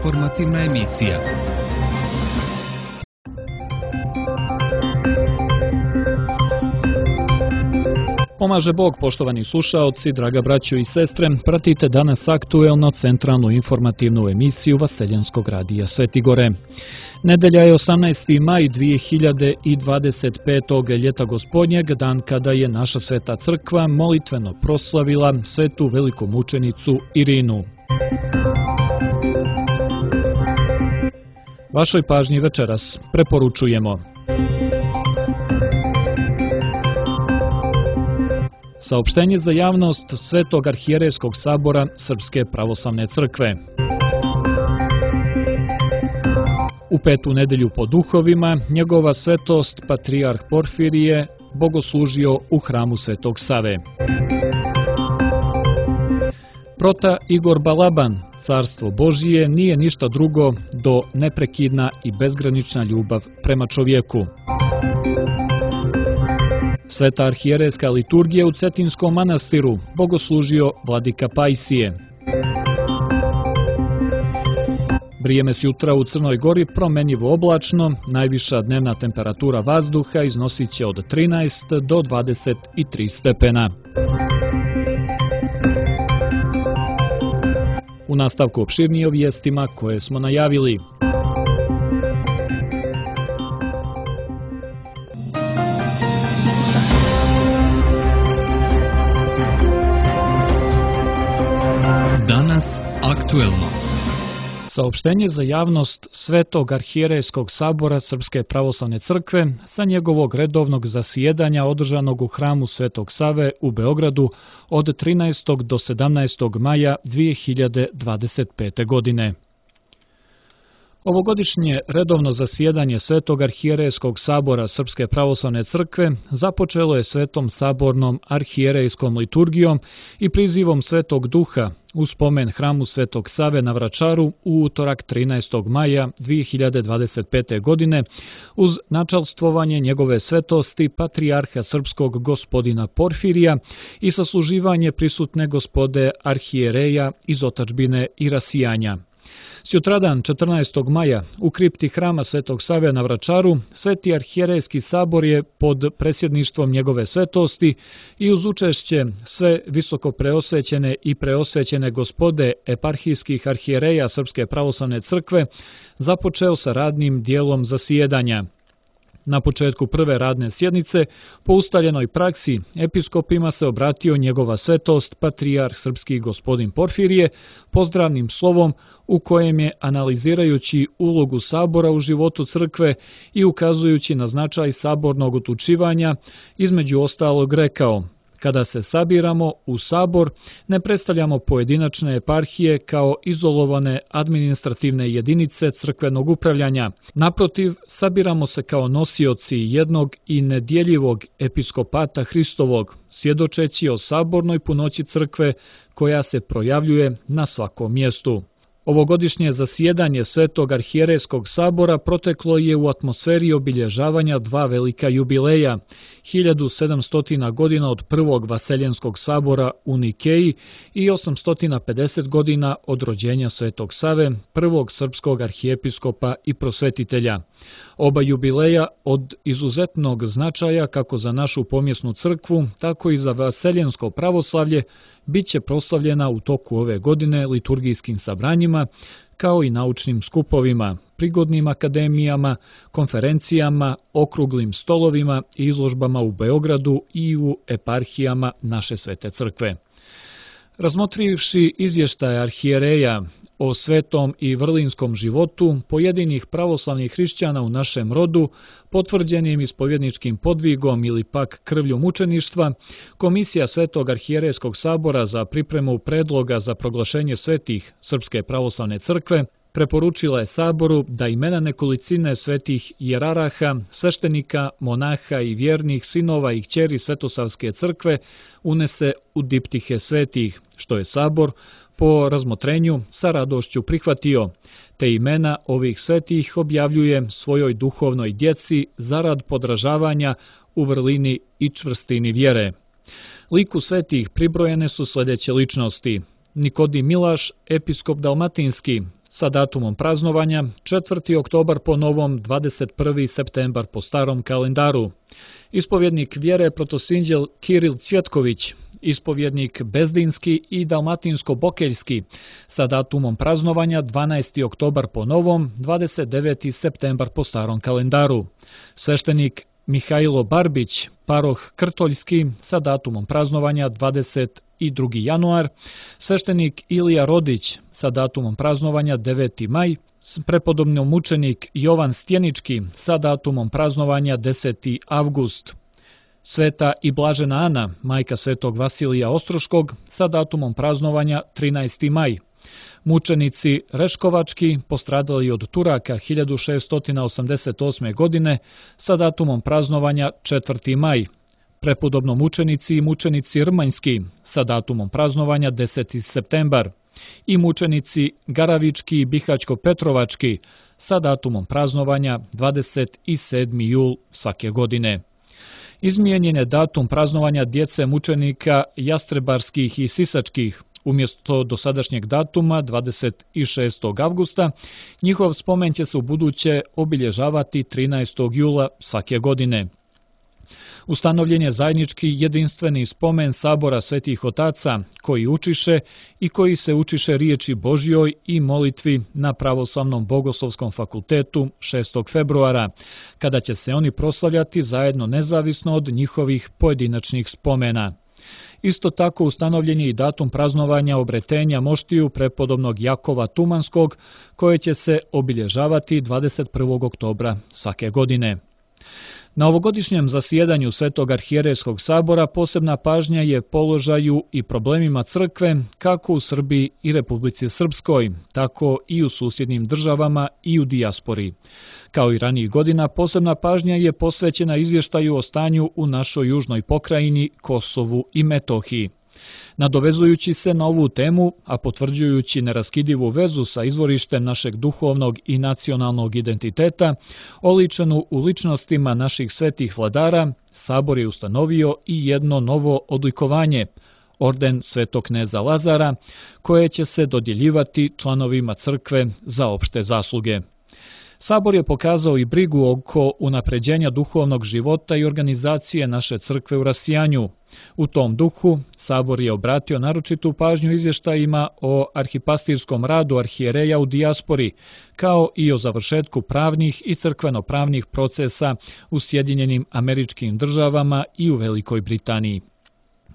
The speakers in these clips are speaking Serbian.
Informativna emisija. Pomaže Bog, poštovani slušaoci, draga braćo i sestre, pratite danas aktuelno centralnu informativnu emisiju Vaseljenskog radija Sveti Gore. Nedelja je 18. maj 2025. ljeta gospodnjeg, dan kada je naša sveta crkva molitveno proslavila svetu velikomučenicu Irinu. Vašoj pažnji večeras preporučujemo saopštenje za javnost Svetog arhijerejskog sabora Srpske pravoslavne crkve. U petu nedelju po duhovima njegova svetost patrijarh Porfirije bogoslužio u hramu Svetog Save. Prota Igor Balaban, Carstvo Božije nije ništa drugo do neprekidna i bezgranična ljubav prema čovjeku. Sveta arhijerejska liturgija u Cetinskom manastiru bogoslužio vladika Pajsije. Vrijeme s jutra u Crnoj Gori promjenjivo oblačno, najviša dnevna temperatura vazduha iznosit će od 13 do 23 stepena. U nastavku opširnije o vijestima koje smo najavili. Danas aktuelno. Saopštenje za javnost Svetog arhijerejskog sabora Srpske pravoslavne crkve sa njegovog redovnog zasjedanja održanog u hramu Svetog Save u Beogradu od 13. do 17. maja 2025. godine. Ovogodišnje redovno zasjedanje Svetog arhijerejskog sabora Srpske pravoslavne crkve započelo je Svetom sabornom arhijerejskom liturgijom i prizivom Svetog Duha u spomen hramu Svetog Save na Vračaru u utorak 13. maja 2025. godine uz načalstvovanje njegove svetosti patrijarha srpskog gospodina Porfirija i sasluživanje prisutne gospode arhijereja iz otadžbine i rasijanja. Sutradan 14. maja u kripti hrama Svetog Save na Vračaru Sveti arhijerejski sabor je pod presjedništvom njegove svetosti i uz učešće sve visoko preosvećene i preosvećene gospode eparhijskih arhijereja Srpske pravoslavne crkve započeo sa radnim dijelom zasjedanja. Na početku prve radne sjednice, po ustaljenoj praksi, episkopima se obratio njegova svetost, patrijarh srpski gospodin Porfirije, pozdravnim slovom u kojem je, analizirajući ulogu sabora u životu crkve i ukazujući na značaj sabornog odlučivanja, između ostalog rekao: kada se sabiramo u sabor, ne predstavljamo pojedinačne eparhije kao izolovane administrativne jedinice crkvenog upravljanja. Naprotiv, sabiramo se kao nosioci jednog i nedjeljivog episkopata Hristovog, svjedočeći o sabornoj punoći crkve koja se projavljuje na svakom mjestu. Ovogodišnje zasjedanje Svetog arhijerejskog sabora proteklo je u atmosferi obilježavanja dva velika jubileja, 1700 godina od prvog Vaseljenskog sabora u Nikeji i 850 godina od rođenja Svetog Save, prvog srpskog arhijepiskopa i prosvetitelja. Oba jubileja od izuzetnog značaja kako za našu pomjesnu crkvu, tako i za vaseljensko pravoslavlje bit će proslavljena u toku ove godine liturgijskim sabranjima, kao i naučnim skupovima, prigodnim akademijama, konferencijama, okruglim stolovima i izložbama u Beogradu i u eparhijama naše svete crkve. Razmotrivši izvještaje arhijereja o svetom i vrlinskom životu pojedinih pravoslavnih hrišćana u našem rodu, potvrđenim ispovjedničkim podvigom ili pak krvlju mučeništva, Komisija Svetog arhijerejskog sabora za pripremu predloga za proglašenje svetih Srpske pravoslavne crkve preporučila je saboru da imena nekolicine svetih jeraraha, sveštenika, monaha i vjernih sinova i kćeri Svetosavske crkve unese u diptihe svetih, što je sabor po razmotrenju sa radošću prihvatio, te imena ovih svetih objavljuje svojoj duhovnoj djeci zarad podražavanja u vrlini i čvrstini vjere. Liku svetih pribrojene su sljedeće ličnosti: Nikodim Milaš, episkop dalmatinski, sa datumom praznovanja 4. oktobar po novom, 21. septembar po starom kalendaru. Ispovjednik vjere protosinđel Kiril Cvjetković, ispovjednik bezdinski i dalmatinsko-bokeljski sa datumom praznovanja 12. oktobar po novom, 29. septembar po starom kalendaru. Sveštenik Mihajlo Barbić, paroh Krtoljski sa datumom praznovanja 22. januar, sveštenik Ilija Rodić sa datumom praznovanja 9. maj, prepodobni mučenik Jovan Stjenički sa datumom praznovanja 10. avgust. Sveta i blažena Ana, majka svetog Vasilija Ostroškog, sa datumom praznovanja 13. maj. Mučenici Reškovački, postradali od Turaka 1688. godine, sa datumom praznovanja 4. maj. Prepodobno mučenici i mučenici Rmanjski, sa datumom praznovanja 10. septembar. I mučenici Garavički i Bihaćko-Petrovački, sa datumom praznovanja 27. jul svake godine. Izmijenjen je datum praznovanja djece mučenika Jastrebarskih i Sisačkih. Umjesto dosadašnjeg datuma 26. avgusta, njihov spomen će se ubuduće obilježavati 13. jula svake godine. Ustanovljen je zajednički jedinstveni spomen Sabora Svetih Otaca, koji učiše i koji se učiše riječi Božjoj i molitvi na Pravoslavnom bogoslovskom fakultetu 6. februara, kada će se oni proslavljati zajedno nezavisno od njihovih pojedinačnih spomena. Isto tako ustanovljen je i datum praznovanja obretenja moštiju prepodobnog Jakova Tumanskog, koje će se obilježavati 21. oktobra svake godine. Na ovogodišnjem zasjedanju Svetog arhijerejskog sabora posebna pažnja je položaju i problemima crkve kako u Srbiji i Republici Srpskoj, tako i u susjednim državama i u dijaspori. Kao i ranijih godina, posebna pažnja je posvećena izvještaju o stanju u našoj južnoj pokrajini, Kosovu i Metohiji. Nadovezujući se na ovu temu, a potvrđujući neraskidivu vezu sa izvorištem našeg duhovnog i nacionalnog identiteta, oličenu u ličnostima naših svetih vladara, Sabor je ustanovio i jedno novo odlikovanje, orden Svetog kneza Lazara, koje će se dodjeljivati članovima crkve za opšte zasluge. Sabor je pokazao i brigu oko unapređenja duhovnog života i organizacije naše crkve u rasijanju. U tom duhu, Sabor je obratio naročitu pažnju izvještajima o arhipastirskom radu arhijereja u dijaspori, kao i o završetku pravnih i crkveno-pravnih procesa u Sjedinjenim Američkim Državama i u Velikoj Britaniji.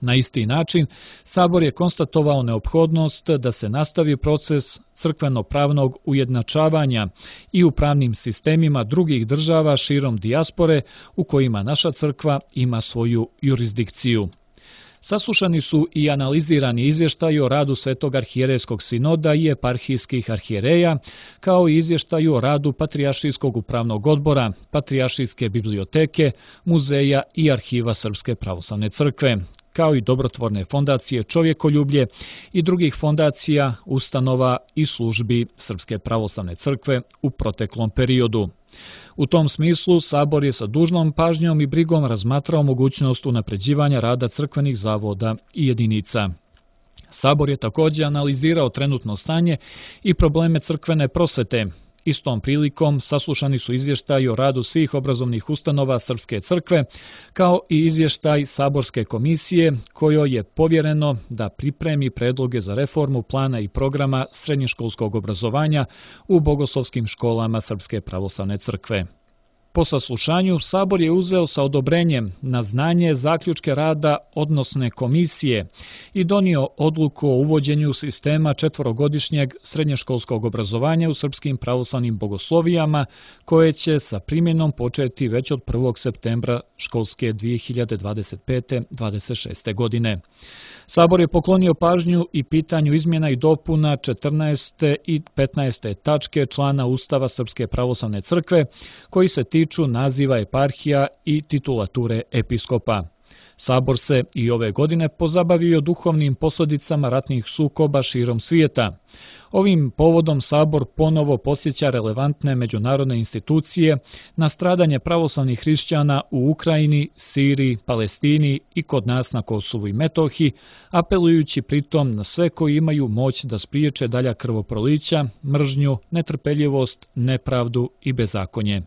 Na isti način, Sabor je konstatovao neophodnost da se nastavi proces crkveno-pravnog ujednačavanja i u pravnim sistemima drugih država širom dijaspore u kojima naša crkva ima svoju jurisdikciju. Saslušani su i analizirani izvještaji o radu Svetog arhijerejskog sinoda i eparhijskih arhijereja, kao i izvještaju o radu Patrijaršijskog upravnog odbora, Patrijaršijske biblioteke, muzeja i arhiva Srpske pravoslavne crkve, kao i dobrotvorne fondacije Čovjekoljublje i drugih fondacija, ustanova i službi Srpske pravoslavne crkve u proteklom periodu. U tom smislu, Sabor je sa dužnom pažnjom i brigom razmatrao mogućnost unapređivanja rada crkvenih zavoda i jedinica. Sabor je također analizirao trenutno stanje i probleme crkvene prosvete. Istom prilikom saslušani su izvještaji o radu svih obrazovnih ustanova Srpske crkve, kao i izvještaj Saborske komisije, kojoj je povjereno da pripremi predloge za reformu plana i programa srednješkolskog obrazovanja u bogoslovskim školama Srpske pravoslavne crkve. Po saslušanju, Sabor je uzeo sa odobrenjem na znanje zaključke rada odnosne komisije i donio odluku o uvođenju sistema 4-godišnjeg srednješkolskog obrazovanja u srpskim pravoslavnim bogoslovijama, koje će sa primjenom početi već od 1. septembra školske 2025-26. godine. Sabor je poklonio pažnju i pitanju izmjena i dopuna 14. i 15. tačke člana Ustava Srpske pravoslavne crkve, koji se tiču naziva eparhija i titulature episkopa. Sabor se i ove godine pozabavio duhovnim posljedicama ratnih sukoba širom svijeta. Ovim povodom Sabor ponovo posjeća relevantne međunarodne institucije na stradanje pravoslavnih hrišćana u Ukrajini, Siriji, Palestini i kod nas na Kosovu i Metohiji, apelujući pritom na sve koji imaju moć da spriječe dalja krvoprolića, mržnju, netrpeljivost, nepravdu i bezakonje.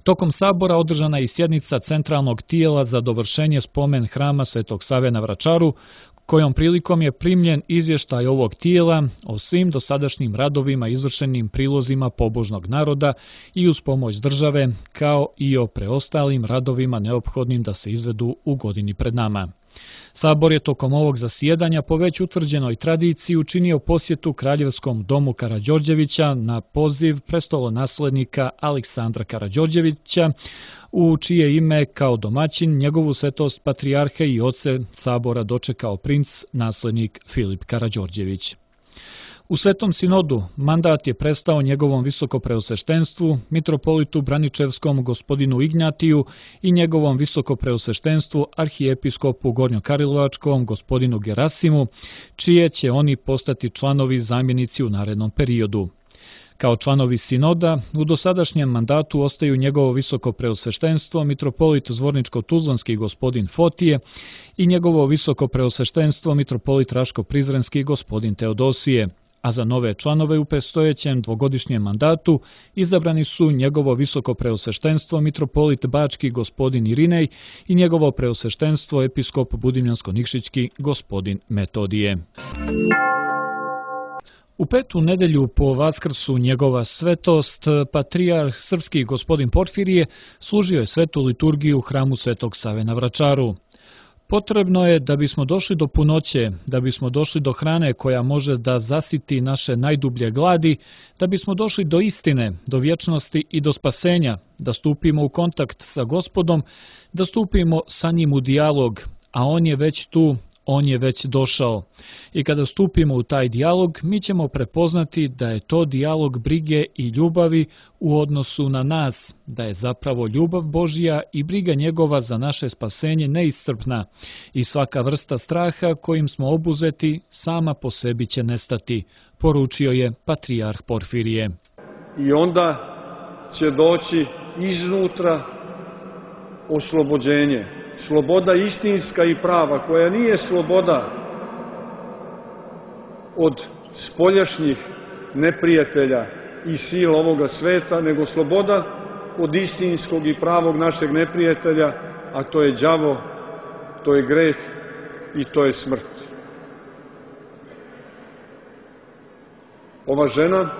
Tokom Sabora održana je i sjednica centralnog tijela za dovršenje spomen hrama Svetog Save na Vračaru, kojom prilikom je primljen izvještaj ovog tijela o svim dosadašnjim radovima izvršenim prilozima pobožnog naroda i uz pomoć države, kao i o preostalim radovima neophodnim da se izvedu u godini pred nama. Sabor je tokom ovog zasjedanja po već utvrđenoj tradiciji učinio posjetu Kraljevskom domu Karađorđevića na poziv prestolonaslednika Aleksandra Karađorđevića, u čije ime kao domaćin njegovu svetost patrijarhe i oce Sabora dočekao princ, naslednik Filip Karađorđević. U Svetom sinodu mandat je prestao njegovom visokopreosveštenstvu, mitropolitu Braničevskom gospodinu Ignjatiju i njegovom visokopreosveštenstvu arhijepiskopu Gornjokarlovačkom gospodinu Gerasimu, čije će oni postati članovi zamjenici u narednom periodu. Kao članovi sinoda, u dosadašnjem mandatu ostaju njegovo visokopreosveštenstvo mitropolit Zvorničko-Tuzlanski gospodin Fotije i njegovo visokopreosveštenstvo mitropolit Raško-Prizrenski gospodin Teodosije, a za nove članove u predstojećem dvogodišnjem mandatu izabrani su njegovo visokopreosveštenstvo mitropolit Bački gospodin Irinej i njegovo preosveštenstvo episkop Budimljansko-Nikšićki gospodin Metodije. U petu nedelju po Vaskrsu njegova svetost, patrijarh srpski gospodin Porfirije, služio je svetu liturgiju u hramu Svetog Save na Vračaru. Potrebno je da bismo došli do punoće, da bismo došli do hrane koja može da zasiti naše najdublje gladi, da bismo došli do istine, do vječnosti i do spasenja, da stupimo u kontakt sa Gospodom, da stupimo sa njim u dijalog, a on je već tu, on je već došao. I kada stupimo u taj dijalog, mi ćemo prepoznati da je to dijalog brige i ljubavi u odnosu na nas, da je zapravo ljubav Božja i briga njegova za naše spasenje neiscrpna i svaka vrsta straha kojim smo obuzeti sama po sebi će nestati, poručio je patrijarh Porfirije. I onda će doći iznutra oslobođenje, sloboda istinska i prava, koja nije sloboda od spoljašnjih neprijatelja i sila ovoga sveta, nego sloboda od istinskog i pravog našeg neprijatelja, a to je đavo, to je greh i to je smrt. Ova žena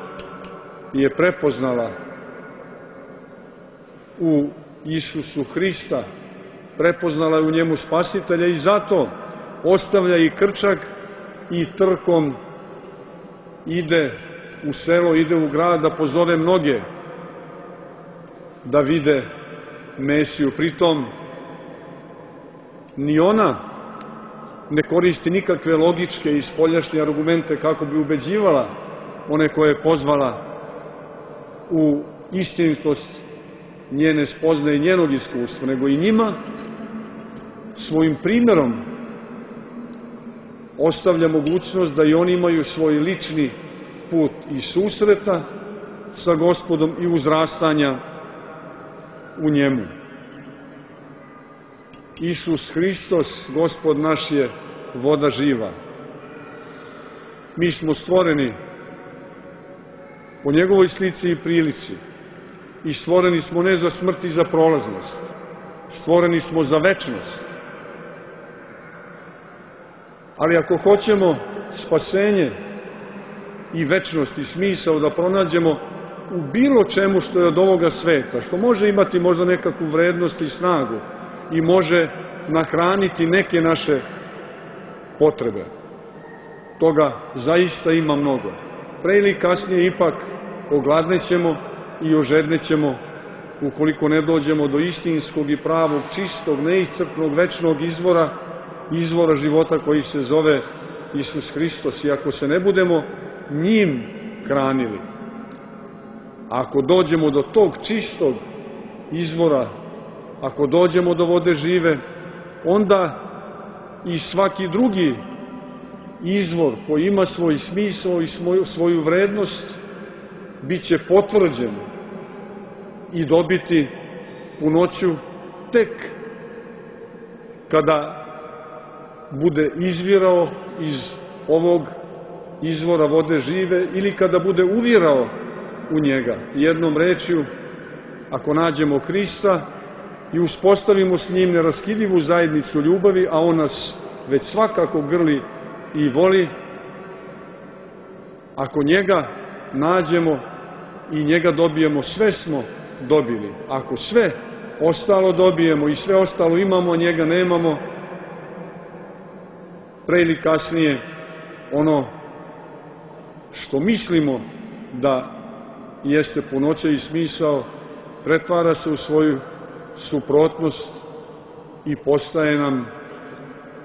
je prepoznala u Isusu Hrista, prepoznala je u njemu Spasitelja i zato ostavlja i krčak i trkom ide u selo, ide u grad da pozove mnoge da vide Mesiju. Pritom ni ona ne koristi nikakve logičke i spoljašnje argumente kako bi ubeđivala one koje je pozvala u istinitost njene spoznaje i njenog iskustva, nego i njima svojim primjerom ostavlja mogućnost da i oni imaju svoj lični put i susreta sa Gospodom i uzrastanja u njemu. Isus Hristos, Gospod naš, je voda živa. Mi smo stvoreni po njegovoj slici i prilici i stvoreni smo ne za smrt i za prolaznost, stvoreni smo za večnost. Ali ako hoćemo spasenje i večnost i smisao da pronađemo u bilo čemu što je od ovoga sveta, što može imati možda nekakvu vrednost i snagu i može nahraniti neke naše potrebe, toga zaista ima mnogo. Pre ili kasnije ipak ogladnećemo i ožednećemo ukoliko ne dođemo do istinskog i pravog, čistog, neiscrpnog, večnog izvora života koji se zove Isus Hristos. I ako se ne budemo njim hranili, ako dođemo do tog čistog izvora, ako dođemo do vode žive, onda i svaki drugi izvor koji ima svoj smisao i svoju vrednost, bit će potvrđen i dobiti punoću tek kada bude izvirao iz ovog izvora vode žive ili kada bude uvirao u njega. Jednom rečju, ako nađemo Krista i uspostavimo s njim neraskidivu zajednicu ljubavi, a on nas već svakako grli i voli, ako njega nađemo i njega dobijemo, sve smo dobili. Ako sve ostalo dobijemo i sve ostalo imamo, a njega nemamo, pre ili kasnije ono što mislimo da jeste punoća i smisao pretvara se u svoju suprotnost i postaje nam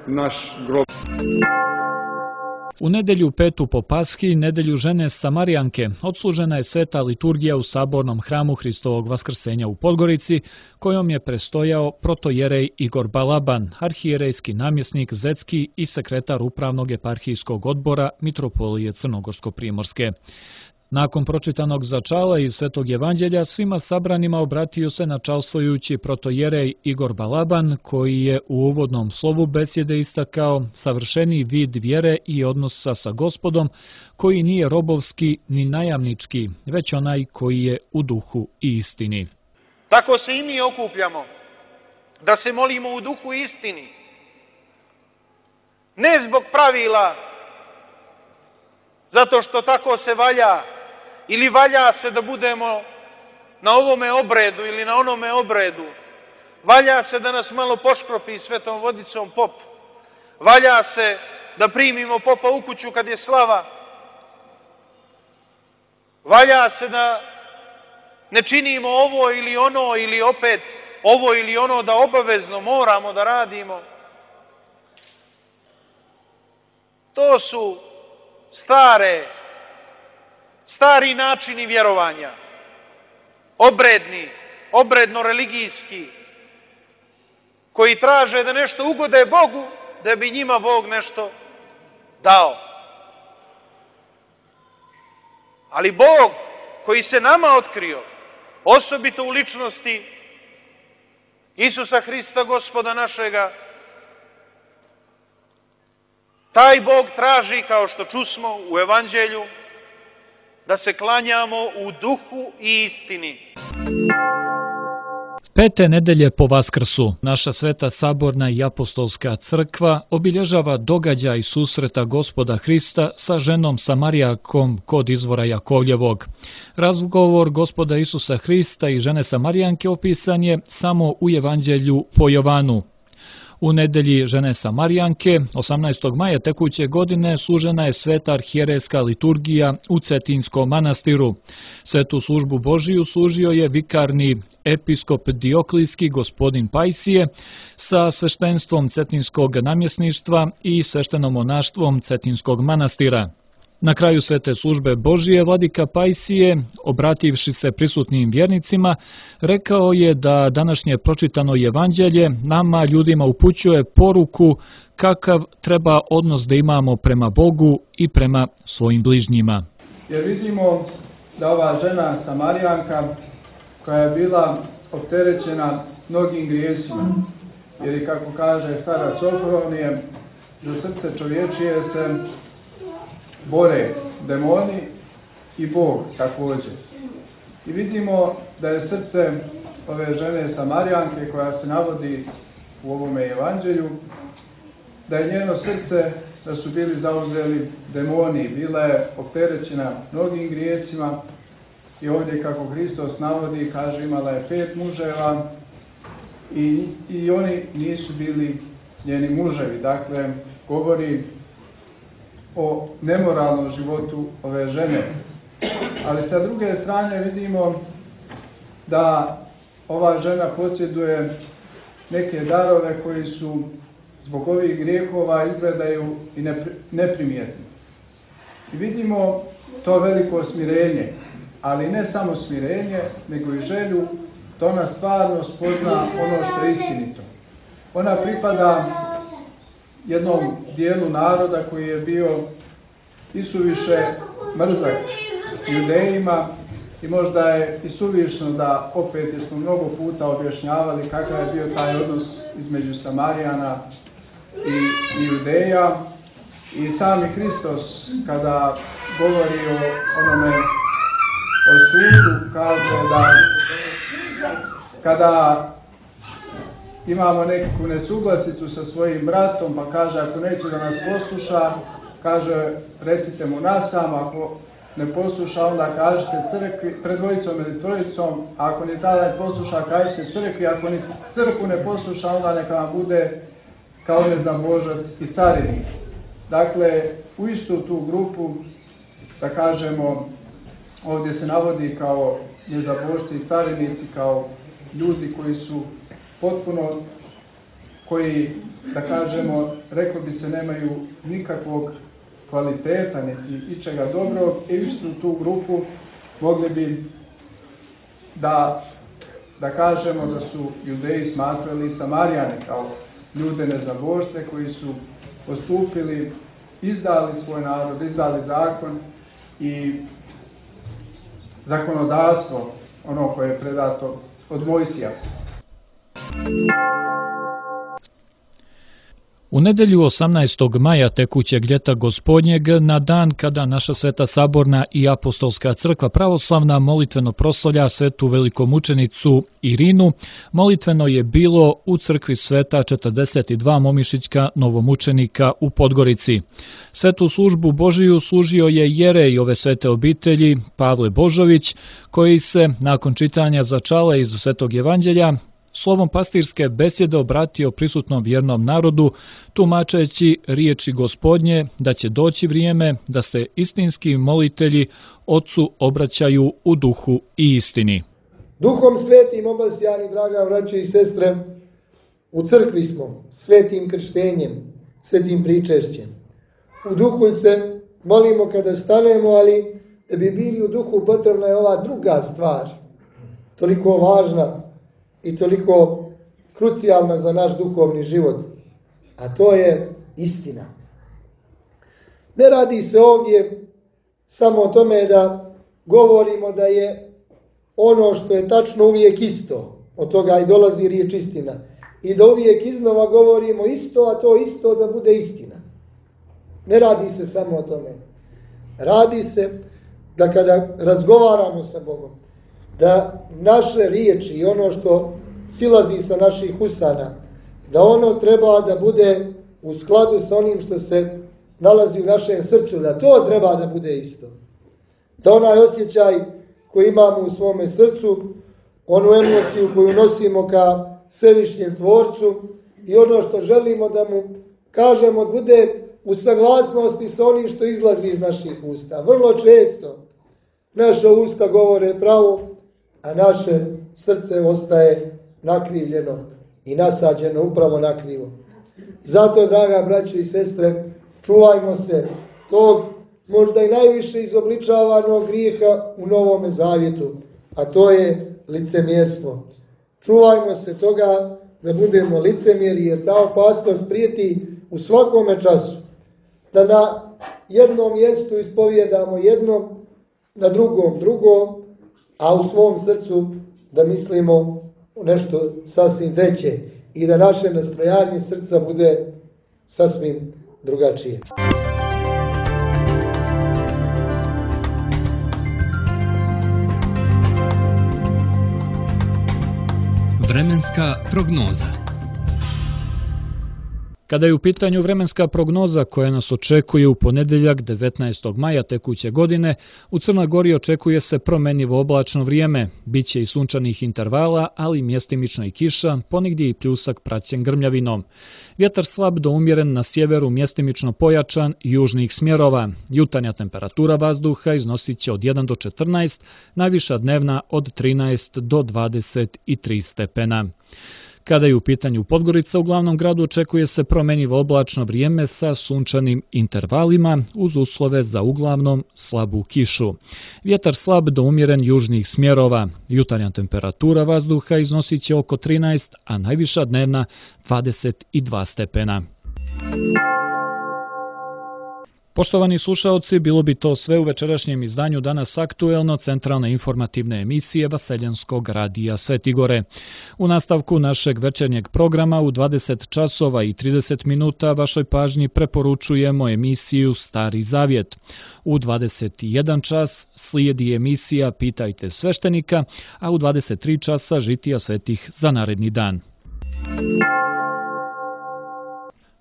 naš grob. U nedelju petu po Paski, nedelju žene Samarijanke, odslužena je sveta liturgija u sabornom hramu Hristovog vaskrsenja u Podgorici, kojom je prestojao protojerej Igor Balaban, arhijerejski namjesnik Zetski i sekretar upravnog eparhijskog odbora Mitropolije Crnogorsko-primorske. Nakon pročitanog začala iz Svetog evanđelja, svima sabranima obratio se načalstvujući protojerej Igor Balaban, koji je u uvodnom slovu besjede istakao savršeni vid vjere i odnosa sa Gospodom, koji nije robovski ni najamnički, već onaj koji je u duhu i istini. Tako se i mi okupljamo, da se molimo u duhu i istini. Ne zbog pravila, zato što tako se valja, ili valja se da budemo na ovome obredu ili na onome obredu. Valja se da nas malo poškropi svetom vodicom pop. Valja se da primimo popa u kuću kad je slava. Valja se da ne činimo ovo ili ono ili opet ovo ili ono da obavezno moramo da radimo. To su stari načini vjerovanja, obredni, obredno-religijski, koji traže da nešto ugode Bogu, da bi njima Bog nešto dao. Ali Bog koji se nama otkrio, osobito u ličnosti Isusa Hrista, Gospoda našega, taj Bog traži, kao što čusmo u Evanđelju, da se klanjamo u duhu i istini. Pete nedelje po Vaskrsu, naša sveta saborna i apostolska crkva obilježava događaj susreta Gospoda Hrista sa ženom Samarijankom kod izvora Jakovljevog. Razgovor Gospoda Isusa Hrista i žene Samarijanke opisan je samo u Evanđelju po Jovanu. U nedelji žene Samarijanke, 18. maja tekuće godine, služena je sveta arhijerejska liturgija u Cetinskom manastiru. Svetu službu Božiju služio je vikarni episkop Dioklijski gospodin Pajsije sa sveštenstvom Cetinskog namjesništva i sveštenomonaštvom Cetinskog manastira. Na kraju svete službe Božije vladika Pajsije, obrativši se prisutnim vjernicima, rekao je da današnje pročitano evanđelje nama ljudima upućuje poruku kakav treba odnos da imamo prema Bogu i prema svojim bližnjima. Jer vidimo da ova žena Samarijanka, koja je bila opterećena mnogim grijesima, jer i kako kaže starac Sofronije, za srce čovječije se bore demoni i Bog također. I vidimo da je srce ove žene Samarijanke, koja se navodi u ovome evanđelju, da je njeno srce, da su bili zauzeli demoni, bila je opterećena mnogim grijesima i ovdje, kako Hristos navodi, kaže, imala je 5 muževa i oni nisu bili njeni muževi. Dakle, govori o nemoralnom životu ove žene. Ali sa druge strane vidimo da ova žena posjeduje neke darove koji su zbog ovih grijehova izgledaju i neprimjetni. I vidimo to veliko smirenje, ali ne samo smirenje, nego i želju da ona stvarno spozna ono što je istinito. Ona pripada jednom dijelu naroda koji je bio isuviše mrzak Judejima i možda je i suvišno da opet smo mnogo puta objašnjavali kakav je bio taj odnos između Samarijana i Judeja. I sami Hristos kada govori o onome o sudu kaže da kada imamo neku nesuglasicu sa svojim bratom pa kaže ako neće da nas posluša, kaže recite mu nasam, ako ne posluša onda kažete crkvi, pred dvojicom ili trojicom, a ako ni tada ne posluša kažete crkvi, ako ni crkvu ne posluša onda neka vam bude kao neznabožac i carinik. Dakle, u istu tu grupu, da kažemo, ovdje se navodi kao neznabožci i carinici, kao ljudi koji su potpuno, koji, da kažemo, reklo bi se, nemaju nikakvog kvaliteta, niti ičega dobrog, i istu tu grupu mogli bi da kažemo da su Judeji smatrali Samarijane kao ljude neznabožce koji su postupili, izdali svoj narod, izdali zakon i zakonodavstvo, ono koje je predato od Mojsija. U nedelju 18. maja tekućeg ljeta Gospodnjeg, na dan kada naša Sveta Saborna i Apostolska crkva pravoslavna molitveno proslavlja svetu velikomučenicu Irinu, molitveno je bilo u crkvi Sveta 42 Momišićka novomučenika u Podgorici. Svetu službu Božiju služio je jerej ove svete obitelji Pavle Božović, koji se nakon čitanja začale iz Svetog evanđelja slovom pastirske besjede obratio prisutnom vjernom narodu, tumačeći riječi Gospodnje da će doći vrijeme da se istinski molitelji Otcu obraćaju u duhu i istini. Duhom svetim obasjani, draga braće i sestre, u crkvi smo svetim krštenjem, svetim pričešćem. U duhu se molimo kada stanemo, ali da bi bili u duhu potrebna je ova druga stvar, toliko važna i toliko krucijalna za naš duhovni život, a to je istina. Ne radi se ovdje samo o tome da govorimo da je ono što je tačno uvijek isto, od toga i dolazi riječ istina, i da uvijek iznova govorimo isto, a to isto da bude istina. Ne radi se samo o tome. Radi se da kada razgovaramo sa Bogom, da naše riječi i ono što silazi sa naših usana, da ono treba da bude u skladu sa onim što se nalazi u našem srcu, da to treba da bude isto. Da onaj osjećaj koji imamo u svome srcu, onu emociju koju nosimo ka svevišnjem Tvorcu i ono što želimo da mu kažemo bude u saglasnosti sa onim što izlazi iz naših usta. Vrlo često naše usta govore pravo, a naše srce ostaje nakrivljeno i nasađeno upravo nakrivo. Zato, draga braće i sestre, čuvajmo se tog možda i najviše izobličavanog grijeha u Novome Zavjetu, a to je licemjerstvo. Čuvajmo se toga da budemo licemjeri, jer ta opasnost prijeti u svakome času. Da na jednom mjestu ispovjedamo jedno, na drugom drugo, a u svom srcu da mislimo nešto sasvim veće i da naše nastrojanje srca bude sasvim drugačije. Vremenska prognoza. Kada je u pitanju vremenska prognoza koja nas očekuje u ponedeljak 19. maja tekuće godine, u Crnoj Gori očekuje se promjenjivo oblačno vrijeme, biće i sunčanih intervala, ali mjestimično i kiša, ponegdje i pljusak praćen grmljavinom. Vjetar slab do umjeren na sjeveru, mjestimično pojačan južnih smjerova. Jutarnja temperatura vazduha iznosit će od 1 do 14, najviša dnevna od 13 do 23 stepena. Kada je u pitanju Podgorica, u glavnom gradu očekuje se promjenjivo oblačno vrijeme sa sunčanim intervalima uz uslove za uglavnom slabu kišu. Vjetar slab do umjeren južnih smjerova. Jutarnja temperatura vazduha iznosit će oko 13, a najviša dnevna 22 stepena. Poštovani slušaoci, bilo bi to sve u večerašnjem izdanju Danas aktuelno, centralne informativne emisije Vaseljanskog radija Svetigore. U nastavku našeg večernjeg programa u 20 časova i 30 minuta vašoj pažnji preporučujemo emisiju Stari Zavjet. U 21 čas slijedi emisija Pitajte sveštenika, a u 23 časa Žitija svetih za naredni dan.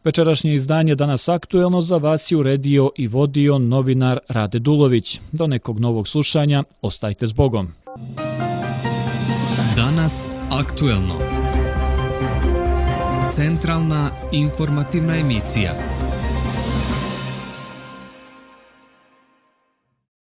Večerašnje izdanje Danas aktuelno za vas je uredio i vodio novinar Rade Dulović. Do nekog novog slušanja, ostajte s Bogom. Danas aktuelno. Centralna informativna emisija.